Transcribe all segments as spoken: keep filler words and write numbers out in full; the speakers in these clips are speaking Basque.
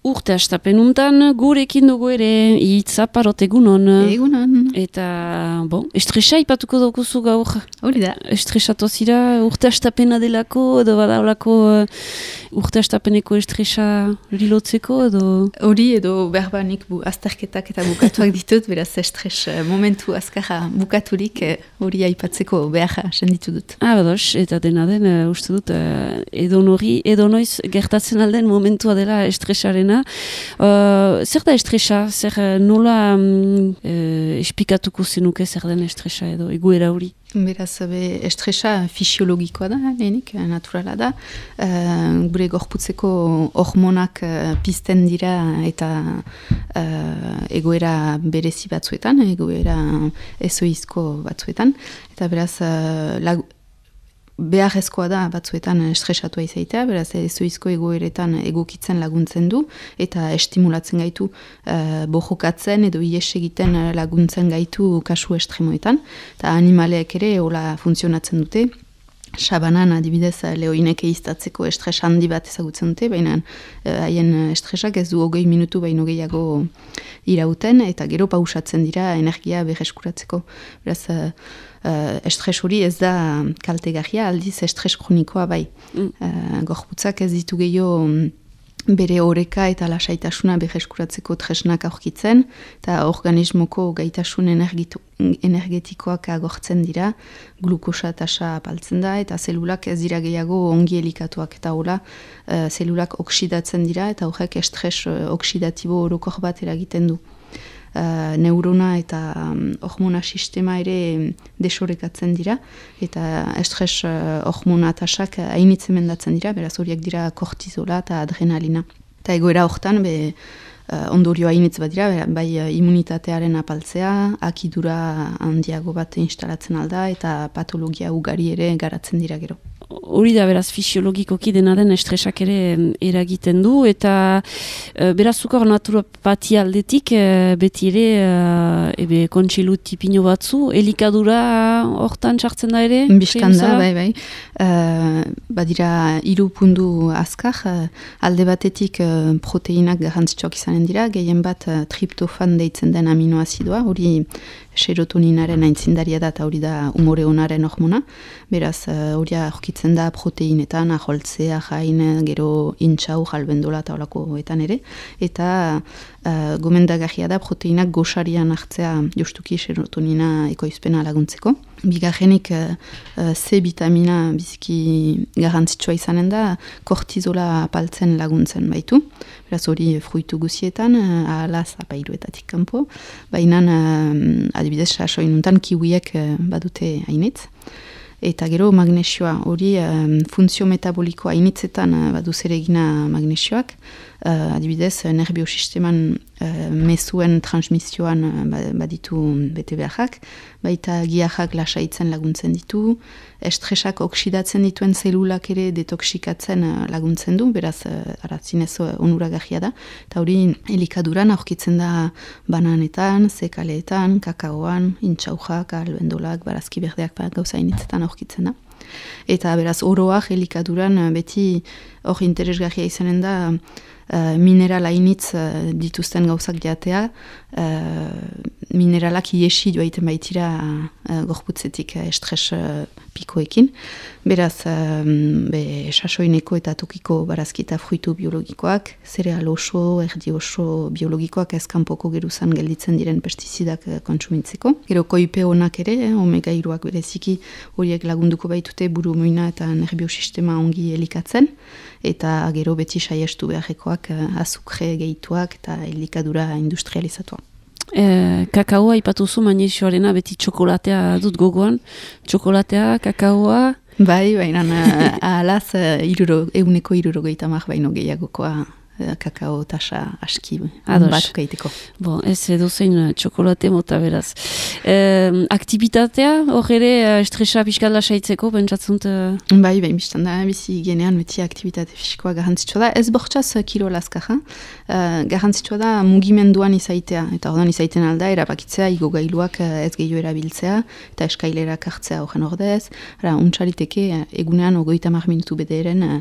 Urte astapenuntan gurekin dugu ere hitza parot egunon. Egunon. Eta, bon, estresa ipatuko daukuzu gaur. Hori da. Estresatu zira urte astapena delako, edo badaulako uh, urte astapeneko estresa lilotzeko, edo? Hori edo berbanik bu, azterketak eta bukatuak ditut, beraz estres momentu azkarra bukaturik hori uh, aipatzeko behar senditu dut. Ah, badoz, eta dena den, uh, uste dut, uh, edo nori, edo noiz gertatzen alden momentua dela estresarena. Uh, zer da estresa? Zer nola um, uh, espikatuko zenuke zer den estresa edo egoera hori? Beraz, be, estresa fisiologikoa da, lehenik, naturala da. Uh, gure gorputzeko hormonak uh, pizten dira eta uh, egoera berezi batzuetan, egoera ezoizko batzuetan. Eta beraz, uh, lag, beharrezkoa da batzuetan estresatua izaitea, beraz ezoizko egoeretan egokitzen laguntzen du, eta estimulatzen gaitu uh, bojokatzen edo ies egiten laguntzen gaitu kasu estremoetan. Eta animaleek ere hola funtzionatzen dute. Sabanan adibidez lehoinek eiztatzeko estres handi bat ezagutzen dute, baina haien uh, estresak ez du hogei minutu baino gehiago irauten, eta gero pausatzen dira energia berreskuratzeko. Beraz, uh, uh, estres hori ez da kaltegarria, aldiz estres kronikoa bai. Mm. Uh, gorputzak ez ditu gehiago bere oreka eta lasaitasuna berreskuratzeko tresnak aurkitzen, eta organismoko gaitasun energitu, energetikoak agortzen dira, glukosa tasa apaltzen da, eta zelulak ez dira gehiago ongi elikatuak, eta hola, uh, zelulak oksidatzen dira, eta horrek estres uh, oksidatibo orokor bat eragiten du. Uh, neurona eta um, hormona sistema ere desorekatzen dira, eta estres uh, hormona tasak hainitzen mendatzen dira, beraz horiek dira kortizola eta adrenalina. Eta egoera hortan, be, uh, ondorio hainitz bat dira, bai uh, immunitatearen apaltzea, akidura handiago bat instalatzen alda, eta patologia ugari ere garatzen dira gero. Hori da, beraz, fisiologikoki dena den estresak ere eragiten du, eta e, beraz, zukor naturopatia aldetik, e, beti ere, e, ebe, kontsilu tipino batzu, elikadura hortan sartzen da ere? Bistan da, bai, bai. Uh, badira, hiru pundu azkar, uh, alde batetik uh, proteinak garrantzitsuak izanen dira, gehien bat uh, triptofan deitzen den aminoazidoa, hori serotoninaren aintzindaria da, eta hori da umore onaren hormona. Beraz, hori uh, aurkitzen da proteinetan, aholtzea, jain, gero intxau, jalbendola eta holakoetan ere. Eta uh, gomendagarria da proteinak goxarian hartzea justuki serotonina ekoizpena laguntzeko. Bigarrenik uh, C vitamina biziki garrantzitsua izanen da, kortizola apaltzen laguntzen baitu. Beraz hori fruitu guzietan, uh, ahalaz apairuetatik kanpo. Baina uh, adibidez sasoinuntan kiwiek uh, badute hainitz. Eta gero magnesioa, hori um, funtzio metabolikoa hainitzetan uh, badu zeregina magnesioak. Uh, adibidez, nerbiosisteman uh, mezuen transmisioan uh, baditu bete beharrak, baita giarrak lasaitzen laguntzen ditu, estresak oksidatzen dituen zelulak ere detoxikatzen uh, laguntzen du, beraz, uh, aratzinez onuragarria da, eta hori elikaduran aurkitzen da bananetan, zekaleetan, kakaoan, intxaujak, albendolak, barazki berdeak gauza initzetan aurkitzen da. Eta beraz, oroak elikaduran beti hor interesgarria izanen da uh, minerala initz uh, dituzten gauzak jatea, uh, mineralak iesi joaiten baitira uh, gorputzetik uh, estres uh, pikoekin. Beraz, um, be, sasoineko eta tokiko barazki eta fruitu biologikoak, zereal oso, erdi oso biologikoak ezkanpoko geruzan gelditzen diren pestizidak uh, kontsumitzeko. Gero koipe honak ere, eh, omega hiruak bereziki horiek lagunduko baitute buru muina eta nerbiosistema ongi elikatzen, eta gero beti saiestu beharrekoak uh, azukre gehituak eta elikadura industrializatua. E, kakaoa ipatuzu magnesioarena beti txokolatea dut gogoan. Txokolatea, kakaoa... Bai, baina ahalaz uh, eguneko iruro gehiamak baino gehiagokoa kakao tasa aski bat gaiteko. Bon, ez edo zein txokolate mota beraz. E, aktibitatea, hor ere estresa pixkat lasaitzeko, bentsatzunt? Uh... Bai, bai, biztan da, bizi genean beti aktibitate fisikoa garrantzitsua da. Ez bortxaz kilo laskaja, uh, garrantzitsua da mugimenduan izaitea, eta ordan izaiten alda, erabakitzea, igogailuak ez gehiago erabiltzea, eta eskailerak hartzea horren ordez. Ara, untxariteke, egunean ogoita mar minutu bederen uh,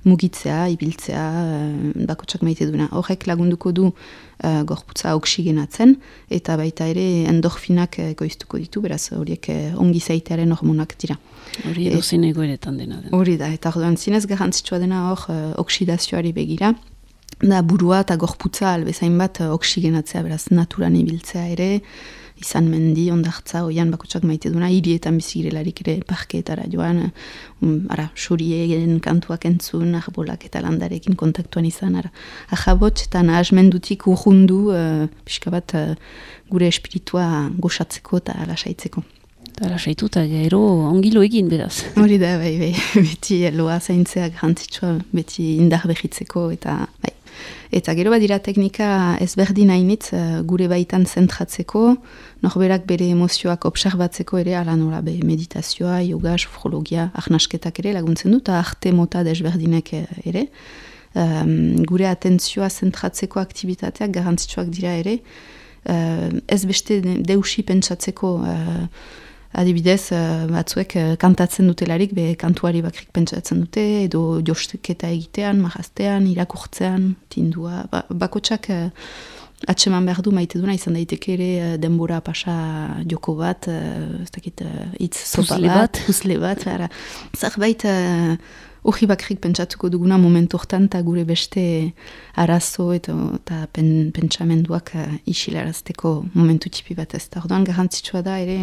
mugitzea, ibiltzea, uh, bakotsak maite duena. Horrek lagunduko du uh, gorputza oksigenatzen, eta baita ere endorfinak goiztuko ditu, beraz horiek uh, ongi zaitearen hormonak dira. Hori edo zen egoeretan dena. Hori da, eta orduan zinez garrantzitsua dena hor uh, oksidazioari begira, da burua eta gorputza albezain bat uh, oksigenatzea, beraz naturan ibiltzea ere, izan mendi, ondartza, oian bakotsak maite duna, hirietan bizigirelarik ere parkeetara joan, um, ara, xurien kantuak entzun, arbolak eta landarekin kontaktuan izan, ara, ahabotx eta nahasmendutik urrundu, uh, pixka bat uh, gure espiritua goxatzeko eta lasaitzeko. Eta lasaitu eta gero ongilo egin beraz. Hori da, bai, bai, beti loa zaintzea garrantzitsua, beti indar behitzeko eta bai. Eta gero badira teknika ezberdin hainitz gure baitan zentratzeko, norberak bere emozioak observatzeko ere, ala nola be meditazioa, yoga, sofrologia, arnasketak ere laguntzen du, eta arte mota desberdinek ere. Um, gure atentzioa zentratzeko aktivitateak garrantzitsuak dira ere, uh, ez beste deusi pentsatzeko, uh, adibidez, uh, batzuek uh, kantatzen dutelarik, be kantuari bakrik pentsatzen dute, edo josteketa egitean, marraztean, irakurtzean, tindua, ba, bakotsak uh, atseman behar du maite duna, izan daiteke ere uh, denbora pasa joko bat, uh, ez dakit, uh, itz sopa bat, huzle bat, zerbait uh, hori bakrik pentsatuko duguna momentu hortan, eta gure beste arazo eta, eta pen, pentsamenduak uh, isilarazteko momentu tipi bat ez da. Orduan garrantzitsua da ere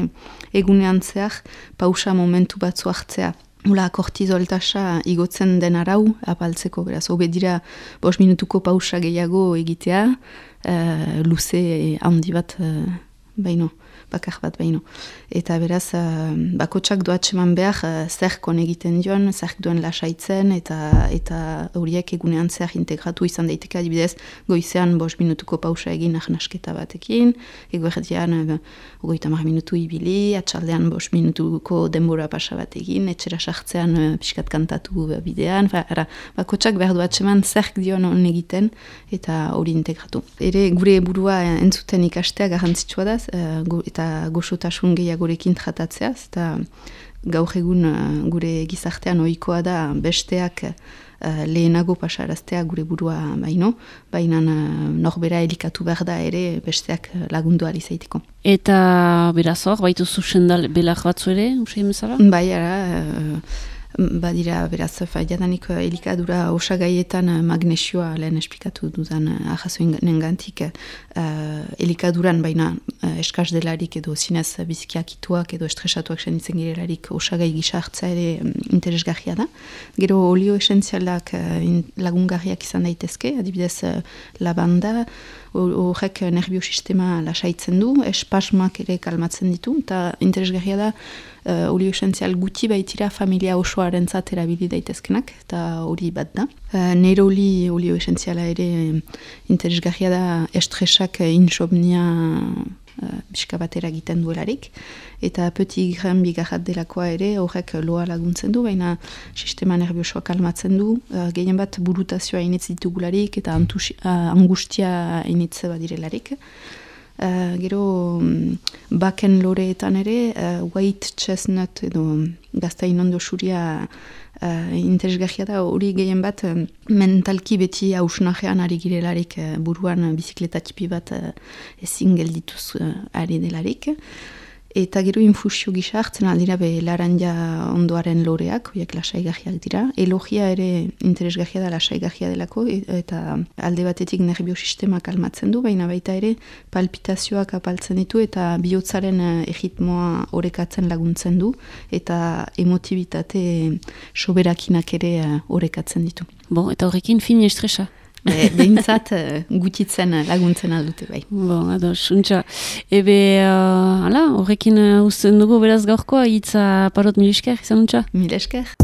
egunean zehar pausa momentu batzu hartzea. Ula kortizoltasa igotzen den arau apaltzeko, beraz, hobe dira bost minutuko pausa gehiago egitea, uh, luze handi bat uh, baino. bakar bat baino. Eta beraz, uh, bakotsak doatseman behar uh, zerkon egiten dion, zerk duen lasaitzen, eta eta horiek egunean zer integratu izan daiteke adibidez, goizean bost minutuko pausa egin ahnasketa batekin, eguerdian uh, ogoita mar minutu ibili, atxaldean bost minutuko denbora pasa bat egin, etxera sartzean uh, pixkat kantatu uh, bidean, ara, bakotsak behar doatseman zerk dion on egiten, eta hori integratu. Ere gure burua entzuten ikastea garrantzitsua da, uh, gu, eta goxotasun gehiagorekin tratatzeaz, eta gaur egun uh, gure gizartean ohikoa da besteak uh, lehenago pasaraztea gure burua baino, baina uh, norbera elikatu behar da ere besteak lagundu ahal izaiteko. Eta beraz hor, baitu zuzendal belak batzu ere, usaim bezala? Bai, ara, uh, badira, beraz, jadanik elikadura osagaietan magnesioa lehen esplikatu dudan ahazoen gantik uh, elikaduran baina uh, eskaz delarik edo zinez bizikiakituak edo estresatuak senitzen girelarik osagai gisa hartza ere um, interesgarria da. Gero olio esentzialak uh, lagungarriak izan daitezke, adibidez uh, lavanda, horrek nerviosistema lasaitzen du, espasmak ere kalmatzen ditu, eta interesgarria da uh, olio esentzial guti baitira familia osoaren zat erabili daitezkenak, eta hori bat da. Uh, neroli olio esentziala ere interesgarria da estresak insomnia uh, biska batera egiten duelarik, eta petit grain bigarrat delakoa ere horrek loa laguntzen du, baina sistema nerviosoa kalmatzen du, uh, gehien bat burutazioa initz ditugularik eta antusi, uh, angustia initz badirelarik. Uh, gero um, baken loreetan ere uh, white chestnut edo gaztain ondo xuria uh, interesgarria da, hori gehien bat um, mentalki beti hausnajean ari girelarik uh, buruan bizikleta tipi bat uh, ezin geldituz uh, ari delarik. Eta gero infusio gisa hartzen aldira be laranja ondoaren loreak, horiek lasaigarriak dira. Elogia ere interesgarria da lasaigarria delako, eta alde batetik nerviosistema kalmatzen du, baina baita ere palpitazioak apaltzen ditu eta bihotzaren erritmoa orekatzen laguntzen du, eta emotibitate soberakinak ere orekatzen ditu. Bon, eta horrekin fin estresa? Behintzat gutitzen laguntzen aldute bai. Bon, ados, untxa. Ebe, uh, ala, horrekin uh, uzten dugu beraz gaurkoa, hitza parot mil esker, izan untxa? Mil esker.